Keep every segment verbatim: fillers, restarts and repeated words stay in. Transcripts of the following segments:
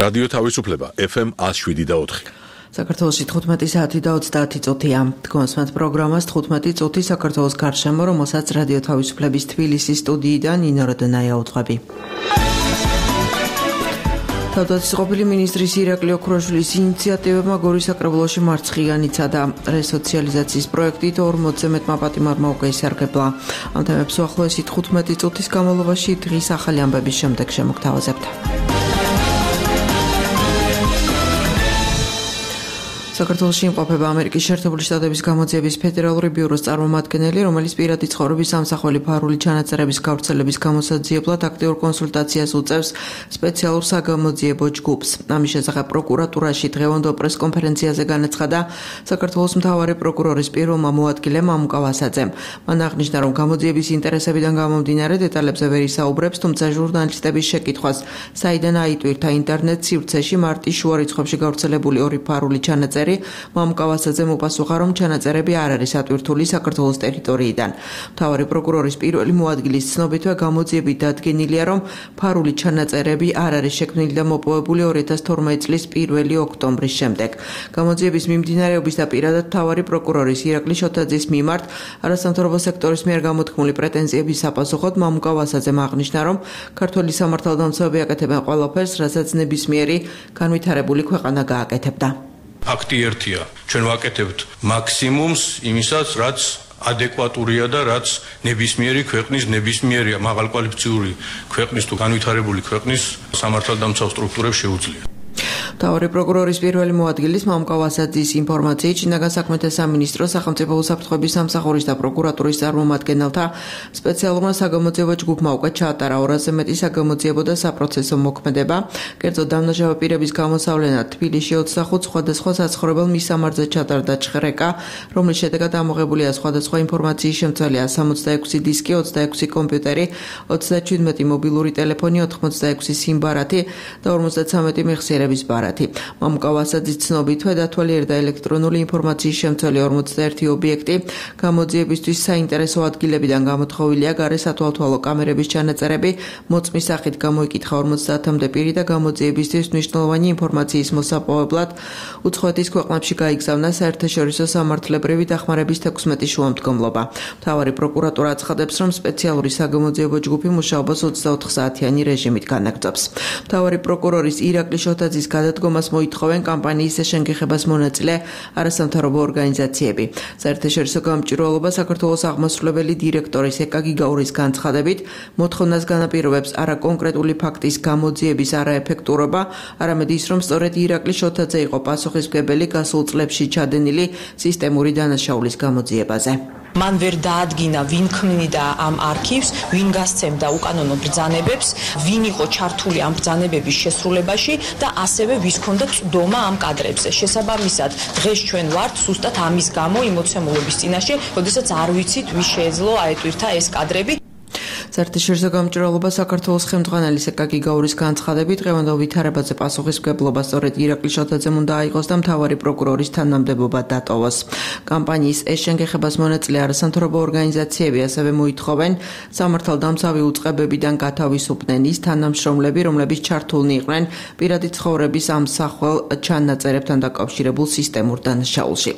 რადიო თავისუფლება ეფ ემ one oh seven და four. საქართველოში თხუთმეტი საათი და ოცდაათი წუთია. Თქვენს პროგრამას თხუთმეტი წუთი საქართველოს გარშემო, რომელსაც რადიო თავისუფლების თბილისის სტუდიიდან ნინო როდონაია უძღვები. თავდაცვის ყოფილი მინისტრის ირაკლი ოქროშვილის ინიციატივებმა გორის საკრებულოში მარცხიანიცა და რესოციალიზაციის პროექტით ორმოცზე მეტმა პატიმარმა უკვე ისარგებლა. ამ თემებს უახლოესი თხუთმეტი წუთის განმავლობაში დღის ახალი ამბების შემდეგ შემოგთავაზებთ. საქართველოში იმყოფება ამერიკის შეერთებული შტატების გამოძიების ფედერალური ბიუროს წარმომადგენელი, რომელიც პირადი ცხოვრების ამსახველი ფარული ჩანაწერების გავრცელების გამოსაძიებლად აქტიურ კონსულტაციას უწევს სპეციალურ საგამოძიებო ჯგუფს. ამის შესახებ პროკურატურაში დღევანდელ პრესკონფერენციაზე განაცხადა საქართველოს მთავარი პროკურორის პირველმა მოადგილემ ამუკა ვასაძემ. მან აღნიშნა, რომ გამოძიების ინტერესებიდან გამომდინარე დეტალებზე ვერ ისაუბრებს, თუმცა ჟურნალისტების შეკითხვას, საიდან აიტვირთა ინტერნეტ სივრცეში მარტის შუა რიცხვებში გავრცელებული ორი ფარული ჩანაწერი მამუკა ვასაძემ უპასუხა, რომ ჩანაწერები არ არის ატვირთული საქართველოს ტერიტორიიდან. მთავარი პროკურორის პირველი მოადგილის ცნობითვე გამოძიებით დადგენილია, რომ ფარული ჩანაწერები არ არის შექმნილი და მოპოვებული ორი ათას თორმეტი წლის პირველი ოქტომბრის შემდეგ. გამოძიების მიმდინარეობის და პირადად მთავარი პროკურორის ირაკლი შოთაძის მიმართ არასამთავრობო სექტორის მიერ გამოთქმული პრეტენზიების საპასუხოდ მამუკა ვასაძემ აღნიშნა, რომ ქართველი სამართალდამცავები აკეთებენ ყველაფერს, რასაც ნებისმიერი განვითარებული ქვეყანა გააკეთებდა. Ფაქტი ერთია, ჩვენ ვაკეთებთ მაქსიმუმს იმისაც, რაც ადეკვატურია და რაც ნებისმიერი ქვეყნის, ნებისმიერი მაღალკვალიფიციური ქვეყნის თუ განვითარებული ქვეყნის სამართალდამცავ სტრუქტურებს შეუძლია. მთავარი პროკურორის პირველი მოადგილის მამუკა ვასაძის ინფორმაციით, შინაგან საქმეთა სამინისტრო, სახელმწიფო უსაფრთხოების სამსახურის და პროკურატურის წარმომადგენელთა სპეციალურმა საგამოძიებო ჯგუფმა უკვე ჩაატარა ორასზე მეტი საგამოძიებო და საპროცესო მოქმედება. კერძო დამნაშავე პირების გამოსავლენად თბილისში ოცდახუთ სხვადასხვა საცხოვრებელ მისამართზე ჩატარდა ჩხრეკა, რომლის შედეგად ამოღებულია სხვადასხვა ინფორმაციის შემცველია სამოცდაექვსი დისკი, ოცდაექვსი კომპიუტერი, ოცდაჩვიდმეტი მობილური ტელეფონი, ოთხმოცდაექვსი სიმბარათი და ორმოცდათვრამეტი მეხსიერების ბარათი. მამუკა ვასაძის ცნობითვე დათვალიერდა და ელექტრონული ინფორმაციის შემცველი ორმოცდაერთი ობიექტი, გამოძიებისთვის საინტერესო ადგილებიდან გამოთხოვილია გარე სათვალთვალო კამერების ჩანაწერები, მოწმის სახით გამოიკითხა ორმოცდაათამდე პირი და გამოძიებისთვის მნიშვნელოვანი ინფორმაციის მოსაპოვებლად უცხოეთის ქვეყნებში გაიგზავნა საერთაშორისო სამართლებრივი დახმარების თექვსმეტი შუამდგომლობა. მთავარი პროკურატურა აცხადებს, რომ სპეციალური საგამოძიებო ჯგუფი მუშაობას ოცდაოთხ საათიანი რეჟიმით განაგრძობს. მთავარი პროკურორის ირაკლი შოთაძის გადადგომას მოითხოვენ კამპანიის შეშენგეხებას მონაწილე არასამთავრობო ორგანიზაციები. საერთაშორისო გამჭვირვალობა საქართველოს აღმასრულებელი დირექტორის ეკა გიგაურის განცხადებით მოთხოვნას განაპირობებს არა კონკრეტული ფაქტის გამოძიების არაეფექტურობა, არამედ ის, რომ სწორედ ირაკლი შოთაძე იყო პასუხისმგებელი გასულ წლებში ჩადენილი სისტემური დანაშაულის გამოძიებაზე. მან ვერ დაადგინა, ვინ ქმნიდა ამ არქივს, ვინ გასცემდა უკანონო ბრძანებებს, ვინ იყო ჩართული ამ ბრძანებების შესრულებაში და ასევე ვის ჰქონდა წვდომა ამ კადრებზე. შესაბამისად, დღეს ჩვენ ვართ სუსტად ამის გამო იმოცემულობის წინაშე, როდესაც არ ვიცით, ვის შეეძლო აეტვირთა ეს კადრები. საერთაშორისო გამჭვირვალობა საქართველოს ხელმძღვანელის ეკა გიგაურის განცხადებით დღევანდელ ვითარებაზე პასუხისმგებლობა სწორედ ირაკლი შოთაძემ უნდა აიღოს და მთავარი პროკურორის თანამდებობა დატოვოს. კამპანიის ეს შენგეხებას მონაწილე არასამთავრობო ორგანიზაციები ასევე მოითხოვენ სამართალდამცავი უწყებებიდან გათავისუფლდნენ ის თანამშრომლები, რომლებიც ჩართულნი იყვნენ პირადი ცხოვრების ამსახველ ჩანაწერებთან დაკავშირებულ სისტემურ დანაშაულში.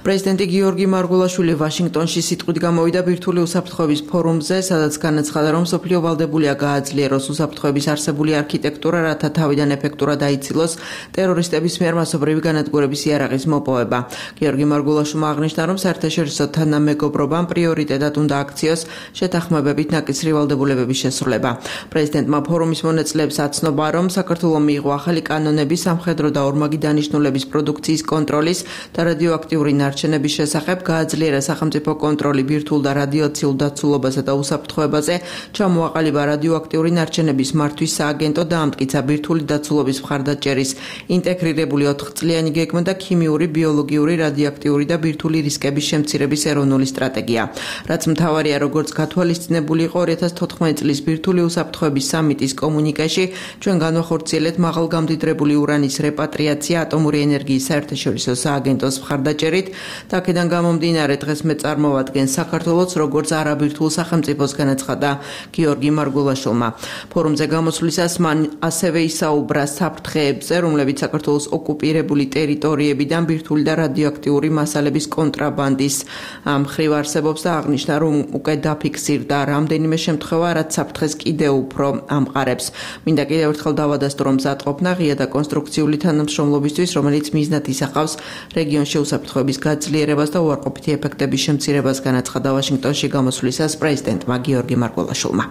პრეზიდენტი გიორგი მარგულაშვილი ვაშინგტონში სიტყვით გამოვიდა ბირთვული უსაფრთხოების ფორუმზე, სადაც განაცხადა, რომ სოფლიო ვალდებულია გააძლიეროს უსაფრთხოების არსებული არქიტექტურა, რათა თავიდან ეფექტურად აიცილოს ტერორისტების მიერ მასობრივი განადგურების იარაღის მოპოვება. გიორგი მარგულაშვილმა აღნიშნა, რომ საერთაშორისო თანამეგობრობამ პრიორიტეტად უნდა აქციოს შეთანხმებებით ნაკისრი ვალდებულებების შესრულება. პრეზიდენტმა ფორუმის მონაწილეებს აცნობა, რომ საქართველომ მიიღო ახალი კანონები სამხედრო და ორმაგი დანიშნულების პროდუქციის კონტროლის და რადიოაქტიური ნარჩენების შესახებ, გააძლიერა სახელმწიფო კონტროლი ბირთვულ და რადიაციულ დაცულობასა და უსაფრთხოებაზე, ჩამოაყალიბა რადიოაქტიური ნარჩენების მართვის სააგენტო და ამტკიცა ბირთვული დაცულობის მხარდაჭერის ინტეგრირებული ოთხწლიანი გეგმა და ქიმიური, ბიოლოგიური, რადიოაქტიური და ბირთვული რისკების შემცირების ეროვნული სტრატეგია. რაც მთავარია, როგორც გათვალისწინებული იყო ორი ათას თოთხმეტი წლის ბირთვული უსაფრთხოების სამიტის კომუნიკეში, ჩვენ განვახორციელებთ მაღალგამდიდრებული ურანის რეპატრიაცია ატომური ენერგიის საერთაშორისო სააგენტოს მხარდაჭერით და აქედან გამომდინარე დღეს მე წარმოვადგენ საქართველოს როგორც არაბირთვულ სახელმწიფოს განაცხადა და გიორგი მარგულაშვილმა. ფორუმზე გამოსვლისას მან ასევე ისაუბრა საფრთხეებზე, რომლებიც საქართველოს ოკუპირებული ტერიტორიებიდან ბირთვული და რადიოაქტიური მასალების კონტრაბანდის მხრივ არსებობს და აღნიშნა, რომ უკვე დაფიქსირდა რამდენიმე შემთხვევა, რაც საფრთხეს კიდევ უფრო ამყარებს. მინდა კიდევ ერთხელ დავადასტურო, რომ მზადყოფნა ღია და კონსტრუქციული თანამშრომლობისთვის, რომელიც მიზნად ისახავს რეგიონში უსაფრთხოების გაძლიერებას და უარყოფითი ეფექტების შემცირებას, განაცხადა ვაშინგტონში გამოსვლისას პრეზიდენტმა გიორგი მარგულაშვილმა.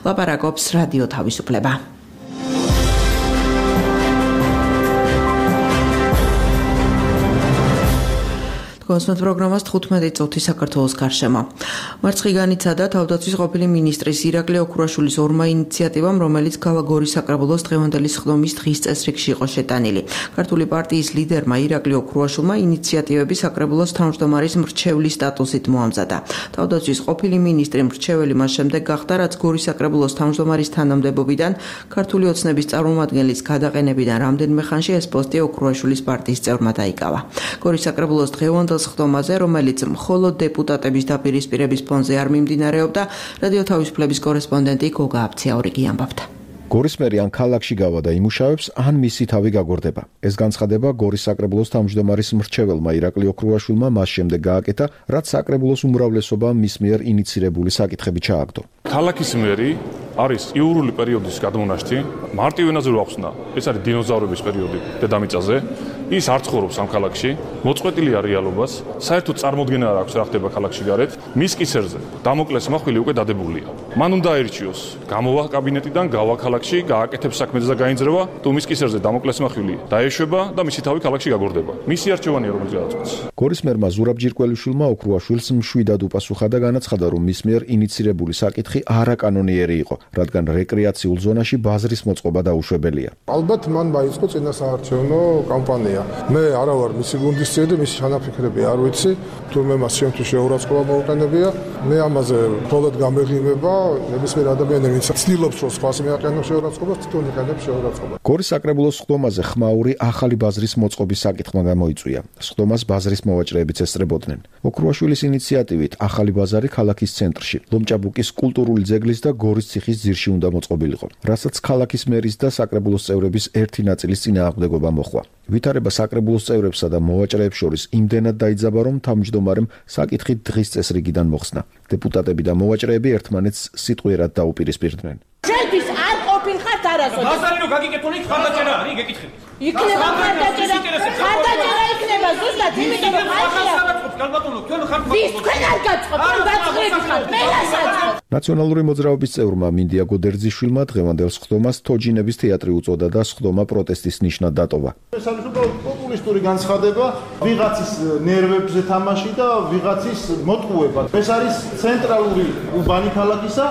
ლაპარაკობს რადიო თავისუფლება. კონსტანტ პროგრამას თხუთმეტი წუთი საქართველოს გარშემო. მარცხი განიცადა თავდაცვის ყოფილი მინისტრის ირაკლი ოქრუაშვილის ორმა ინიციატივამ, რომელიც ქალაქ-გორის საკრებულოს დღევანდელი სხდომის დღის წესრიგში იყო შეტანილი. ქართული პარტიის ლიდერმა ირაკლი ოქრუაშვილმა ინიციატივები საკრებულოს თავმჯდომარის მრჩევლის სტატუსით მოამზადა. თავდაცვის ყოფილი მინისტრი მრჩეველი მას შემდეგ გახდა, რაც გორის საკრებულოს თავმჯდომარის თანამდებობიდან ქართული ოცნების წარმომადგენლის გადაყენებიდან რამდენიმე ხანში ეს პოსტი ოქრუაშვილის პარტიის წევრმა დაიკავა. გორის საკრებულოს დღევანდელ სხდომაზე, რომელიც მხოლოდ დეპუტატების დაპირისპირების ფონზე არ მიმდინარეობდა, რადიო თავისუფლების კორესპონდენტი გოგა აფციაური კი ამბობდა. გორის მერი ან ქალაქში გავა და იმუშავებს, ან მისი თავი გაგორდება. ეს განცხადება გორის საკრებულოს თავმჯდომარის მრჩეველმა ირაკლი ოქრუაშვილმა მას შემდეგ გააკეთა, რაც საკრებულოს უმრავლესობა მის მიერ ინიცირებული საკითხები ჩააგდო. ქალაქის მერი არის იურული პერიოდის გადმონაშთი, მარტივ ენაზე რო ახსნა, ეს არის დინოზავრების პერიოდი დედამიწაზე. ის არ ცხოვრობს ამ ქალაქში, მოწყვეტილია რეალობას, საერთოდ წარმოდგენა არ აქვს რა ხდება ქალაქში გარეთ. მის კისერზე დამოკლეს მახვილი უკვე დადებულია. მან უნდა აირჩიოს, გამოვა კაბინეტიდან, გავა ქალაქში, გააკეთებს საქმეზე და გაინძრევა, თუ მის კისერზე დამოკლეს მახვილი დაეშვება და მისი თავი ქალაქში გაგორდება. მისი არჩევანია, რომელიც გადაწყვეტს. გორის მერმა ზურაბ ჯირკველიშვილმა ოქრუაშვილს მშვიდად უპასუხა და განაცხადა, რომ მის მიერ ინიცირებული საკითხი არაკანონიერი იყო, რადგან რეკრეაციულ ზონაში ბაზრის მოწყობა დაუშვებელია. ალბათ მან მაიწყო წინასაარჩევნო კამპანია. მე არა ვარ მისი გუნდის წევრი, მისი ჩანაფიქრები არ ვიცი, თურმე მას შემთხვევაში შეურაცხყოფა მოუყენებია. მე ამაზე მხოლოდ გამეღიმება, ნებისმიერ ადამიანს, ვინც ცდილობს რომ სხვას მიაყენოს შეურაცხყოფას, თვითონ იყენებს შეურაცხყოფას. გორის საკრებულოს სხდომაზე ხმაური ახალი ბაზრის მოწყობის საკითხმა გამოიწვია. სხდომას ბაზრის მოვაჭრეებიც ესწრებოდნენ. ოქრუაშვილის ინიციატივით ახალი ბაზარი ქალაქის ცენტრში, ლომჭაბუკის კულტურული ძეგლის და გორის ციხის ძირში უნდა მოწყობილიყო, რასაც ქალაქის მერის და საკრებულოს წევრების ერთი ნაწილის წინააღმდეგობა მოჰყვა. ვითარება საკრებულოს წევრებსა და მოვაჭრეებს შორის იმდენად დაიძაბა, რომ თავმჯდომარემ საკითხი დღის წესრიგიდან მოხსნა. დეპუტატები და მოვაჭრეები ერთმანეთს სიტყვიერად დაუპირისპირდნენ. შენთვის არ ყოფილხართ არასოდეს. ბაზარი რო გაგიკეთონი, ხარდაჭერა არის, გეკითხები. იქნება ხარდაჭერა, ხარდაჭერა იქნება ზუსტად, იმიტომ რომ ხალხია. გალბატონო, თქვენ ხართ ვის თქვენ არ გაწყობთ, თქვენ გაწყრები ხართ, მე რასაც. ნაციონალური მოძრაობის წევრმა მინდია გოდერძიშვილმა დღევანდელ სხდომას თოჯინების თეატრი უწოდა და სხდომა პროტესტის ნიშნად დატოვა. ეს არის უბრალოდ პოპულისტური განცხადება, ვიღაცის ნერვებზე თამაში და ვიღაცის მოტყუება. ეს არის ცენტრალური უბანი ქალაქისა,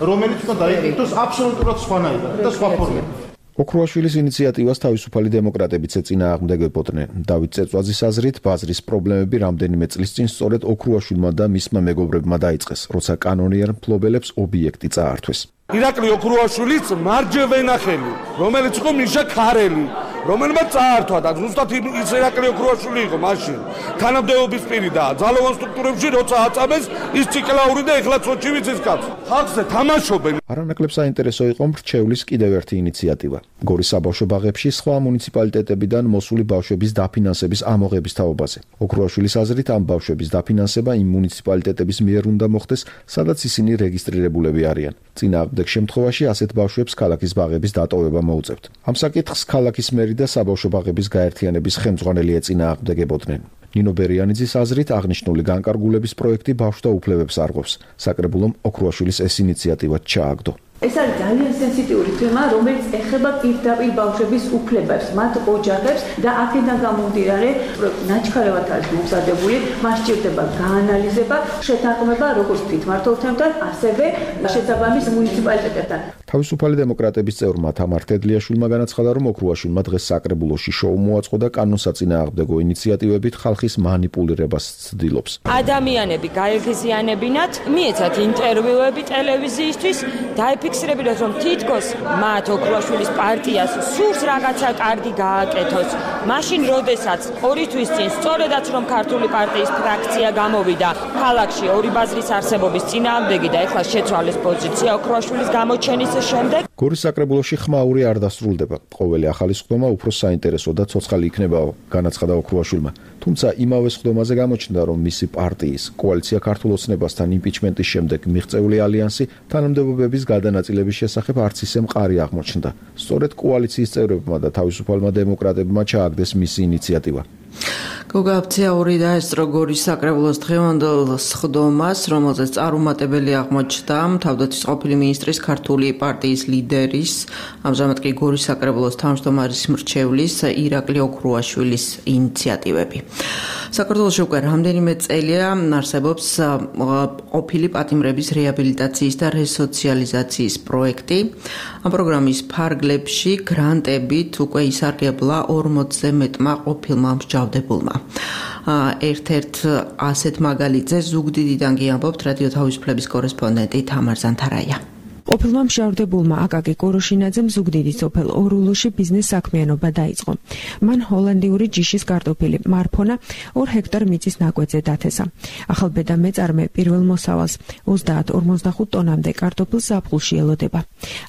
რომელიც უნდა დაიკითხოს აბსოლუტურად სხვანაირად და სხვა ფორმებით. ოქრუაშვილის ინიციატივას თავისუფალი დემოკრატებიც ეწინააღმდეგებოდნენ. დავით წეწვაძის აზრით, ბაზრის პრობლემები რამდენიმე წლის წინ სწორედ ოქრუაშვილმა და მისმა მეგობრებმა დაიწყეს, როცა კანონიერ მფლობელებს ობიექტი წაართვეს. ირაკლი ოქრუაშვილის მარჯვენა ხელი, რომელიც იყო მიშა ქარელი, რომელმაც წაართვა და ზუსტად ის ირაკლი ოქრუაშვილი იყო მაშინ. თანამდებობის პირი და ძალოვან სტრუქტურებში როცა აწამეს, ის ციკლაური და ეხლა სოჭი ვიცის კაც. ხალხზე თამაშობენ. არანაკლებ საინტერესო იყო მრჩევლის კიდევ ერთი ინიციატივა. გორის საბავშვო ბაღებში სხვა მუნიციპალიტეტებიდან მოსული ბავშვების დაფინანსების ამოღების თაობაზე. ოქრუაშვილის აზრით, ამ ბავშვების დაფინანსება იმ მუნიციპალიტეტების მიერ უნდა მოხდეს, სადაც ისინი რეგისტრირებულები არიან. წინააღმდეგ შემთხვევაში ასეთ ბავშვებს ქალაქის ბაღების დატოვება მოუწევთ. ამ საკითხს ქალაქის მერი და საბავშვო ბაღების გაერთიანების ხელმძღვანელი ეწინააღმდეგებოდნენ. ნინო ბერიანიძის აზრით, აღნიშნული განკარგულების პროექტი ბავშვთა უფლებებს არღვევს. საკრებულომ ოქრუაშვილის ეს ინიციატივა ჩააგდო. ეს არის ძალიან სენსიტიური თემა, რომელიც ეხება პირდაპირ ბავშვების უფლებებს, მათ ოჯახებს და აქედან გამომდინარე ნაჩქარევად არის მომზადებული, მას სჭირდება გაანალიზება, შეთანხმება როგორც თვითმმართველთანთან, ასევე შესაბამის მუნიციპალიტეტებთან. თავისუფალი დემოკრატების წევრმა თამარ თედლიაშვილმა განაცხადა, რომ ოქრუაშვილმა დღეს საკრებულოში შოუ მოაწყო და კანონსაწინააღმდეგო ინიციატივებით ხალხის манипулირებას ცდილობს. ადამიანები გაეგზიანებინათ, მიეცათ ინტერვიუები ტელევიზიისთვის, დაიფიქსირებინათ, რომ თითქოს მათ ოქრუაშვილის პარტიას სურს რაღაცა კარგი გააკეთოს. მაშინ, როდესაც ორი თვის წინ სწორედაც რომ ქართული პარტიის ფრაქცია გამოვიდა ქალაქში ორი ბაზრის არსებობის წინააღმდეგი და ეხლა შეცვალეს პოზიცია ოქრუაშვილის გამოჩენის შემდეგ. გორის საკრებულოში ხმაური არ დასრულდება. ყოველი ახალი სხდომა უფრო საინტერესო და ცოცხალი იქნება, განაცხადა ოქრუაშვილმა. თუმცა იმავე სხდომაზე გამოჩნდა, რომ მისი პარტიის კოალიცია ქართულ ოცნებასთან იმპიჩმენტის შემდეგ მიღწეული ალიანსი თანამდებობების გადანაწილების შესახებ არც ისე მყარი აღმოჩნდა. სწორედ კოალიციის წევრებმა და თავისუფალმა დემოკრატებმა ჩააგდეს მისი ინიციატივა. გოგა აფციაური დაესწრო გორის საკრებულოს დღევანდელ სხდომას, რომელზეც წარუმატებელი აღმოჩნდა თავდაცვის ყოფილი მინისტრის ქართული პარტიის ლიდერის, ამჟამად კი გორის საკრებულოს თავმჯდომარის მრჩევლის ირაკლი ოქრუაშვილის ინიციატივები. საქართველოში უკვე რამდენიმე წელია არსებობს ყოფილი პატიმრების რეაბილიტაციის და რესოციალიზაციის პროექტი. ამ პროგრამის ფარგლებში გრანტებით უკვე ისარგებლა ორმოცზე მეტმა ყოფილმა მსჯავრდებულმა. ერთ-ერთ ასეთ მაგალითზე ზუგდიდიდან კი ამბობთ რადიო თავისუფლების კორესპონდენტი თამარ ზანთარაია. ყოფილმა მსჯავრდებულმა აკაკი კოროშინაძემ ზუგდიდის სოფელ ორულუში ბიზნეს საქმიანობა დაიწყო. მან ჰოლანდიური ჯიშის კარტოფილი მარფონა ორ ჰექტარ მიწის ნაკვეთზე დათესა. ახალბედა მეწარმე პირველ მოსავალს ოცდაათ ორმოცდახუთ ტონამდე კარტოფილს ზაფხულში ელოდება.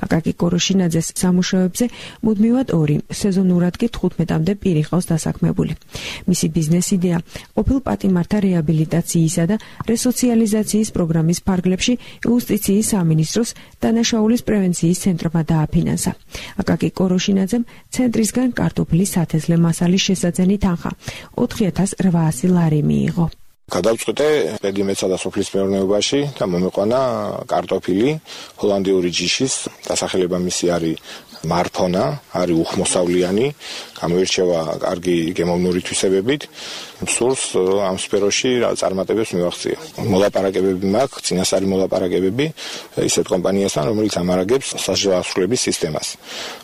აკაკი კოროშინაძეს სამუშაოებზე მუდმივად ორი, სეზონურად კი თხუთმეტამდე პირი ყავს დასაქმებული. მისი ბიზნეს იდეა ყოფილ პატიმართა რეაბილიტაციისა და რესოციალიზაციის პროგრამის ფარგლებში იუსტიციის სამინისტროს დანაშაულის პრევენციის ცენტრმა დააფინანსა. აკაკი კოროშინაძემ ცენტრისგან კარტოფილის სათესლე მასალის შესაძენი თანხა ოთხი ათას რვაასი ლარი მიიღო. გადავწყვიტე პედიმეცსა და სოფლის მეურნეობაში და მომიყვანა კარტოფილი ჰოლანდიური ჯიშის, დასახელება მისი არის მარფონა, არის უხმოსავლიანი, გამოირჩევა კარგი გემოვნური თვისებებით. სურს ამ სფეროში წარმატებებს მივახცია. მოლაპარაკებები მაქვს, წინასწარი მოლაპარაკებები ისეთ კომპანიასთან, რომელიც ამარაგებს სასჯელოსნების სისტემას.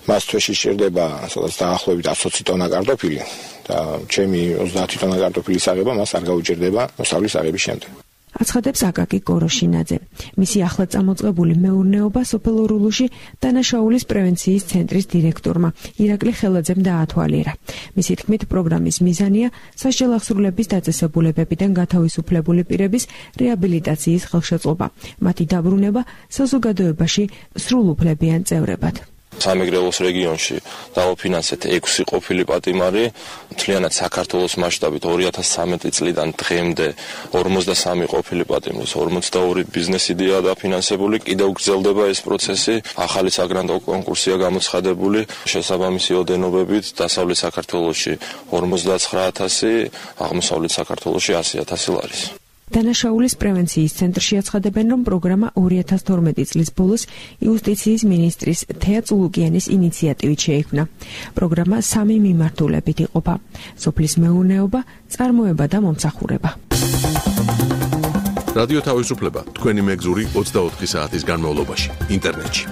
მას თვეში სჭირდება სადაც დაახლოებით ოცი ტონა კარტოფილი და ჩემი ოცდაათი ტონა კარტოფილის აღება მას არ გაუჭირდება მოსავლის აღების შემდეგ. აცხადებს აკაკი კოროშინაძე. მისი ახლად წამოწყებული მეურნეობა სოფელ ორულუში დანაშაულის პრევენციის ცენტრის დირექტორმა ირაკლი ხელაძემ დაათვალიერა. მისი თქმით, პროგრამის მიზანია სასჯელახსრულების დაწესებულებებიდან გათავისუფლებული პირების რეაბილიტაციის ხელშეწყობა, მათი დაბრუნება საზოგადოებაში სრულუფლებიან წევრებად. სამეგრელოს რეგიონში დავაფინანსეთ ექვსი ყოფილი პატიმარი, მთლიანად საქართველოს მასშტაბით ორი ათას ცხრამეტი წლიდან დღემდე ორმოცდასამი ყოფილი პატიმრის ორმოცდაორი ბიზნეს იდეაა დაფინანსებული, კიდევ გრძელდება ეს პროცესი, ახალი საგრანტო კონკურსია გამოცხადებული, შესაბამისი ოდენობებით დასავლეთ საქართველოში ორმოცდაცხრა ათასი, აღმოსავლეთ საქართველოში ასი ათასი ლარის. დანაშაულის პრევენციის ცენტრში აცხადებენ, რომ პროგრამა ორი ათას თორმეტი წლის ბოლოს იუსტიციის მინისტრის თეა წულუკიანის ინიციატივით შეიქმნა. პროგრამა სამი მიმართულებით იყოფა: სოფლის მეურნეობა, წარმოება და მომსახურება. რადიო თავისუფლება თქვენი მეგზური ოცდაოთხი საათის განმავლობაში ინტერნეტში.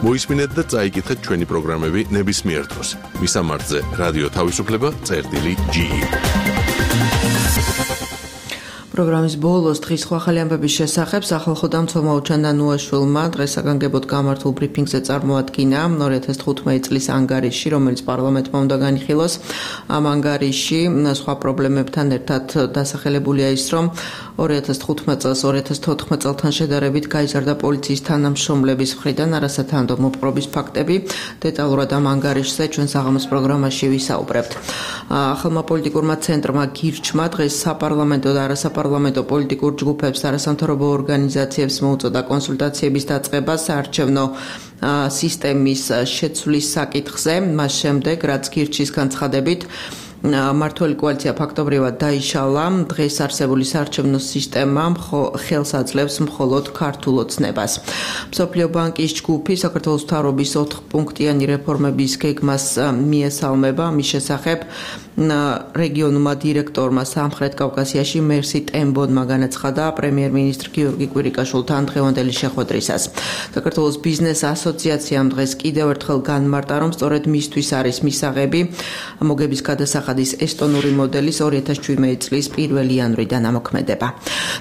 მოისმინეთ და წაიკითხეთ ჩვენი პროგრამები ნებისმიერ დროს. მისამართზე რადიო თავისუფლება წერტილი ჯი ი. პროგრამის ბოლოს დღის სხვა ახალი ამბების შესახებ სახალხო დამცველმა ოჩან დანუაშვილმა დღეს საგანგებოდ გამართულ ბრიფინგზე წარმოადგინა ორი ათას თხუთმეტი წლის ანგარიში, რომელიც პარლამენტმა უნდა განიხილოს. ამ ანგარიში სხვა პრობლემებთან ერთად დასახელებულია ის, რომ ორი ათას თხუთმეტი წელს ორი ათას თოთხმეტ წელთან შედარებით გაიზარდა პოლიციის თანამშრომლების მხრიდან არასათანადო მოპყრობის ფაქტები. დეტალურად ამ ანგარიშზე ჩვენ საღამოს პროგრამაში ვისაუბრებთ. ახალმა პოლიტიკურმა ცენტრმა გირჩმა დღეს საპარლამენტო და არასაპარლამენტო პოლიტიკურ ჯგუფებს, არასამთავრობო ორგანიზაციებს მოუწოდა კონსულტაციების დაწყება საარჩევნო სისტემის შეცვლის საკითხზე, მას შემდეგ, რაც გირჩის განცხადებით მართველი კოალიცია ფაქტობრივად დაიშალა, დღეს არსებული საარჩევნო სისტემა ხელს აძლევს მხოლოდ ქართულ ოცნებას. მსოფლიო ბანკის ჯგუფი საქართველოს მთავრობის ოთხპუნქტიანი რეფორმების გეგმას მიესალმება, მის შესახებ რეგიონულმა დირექტორმა სამხრეთ კავკასიაში მერსი ტემბონმა განაცხადა პრემიერ-მინისტრ გიორგი კვირიკაშვილთან დღევანდელი შეხვედრისას. საქართველოს ბიზნეს ასოციაციამ დღეს კიდევ ერთხელ განმარტა, რომ სწორედ მისთვის არის მისაღები მოგების გადასახადის ესტონური მოდელის ორი ათას შვიდმეტი წლის პირველი იანვრიდან ამოქმედება.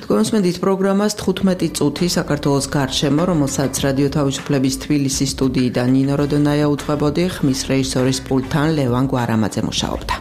თქვენსმენდით პროგრამას თხუთმეტი წუთი საქართველოს გარშემო, რომელსაც რადიო თავისუფლების თბილისის სტუდიიდან ნინო როდონაია უძღვებოდი, ხმის რეჟისორის პულტთან ლევან გვარამაძე მუშაობდა.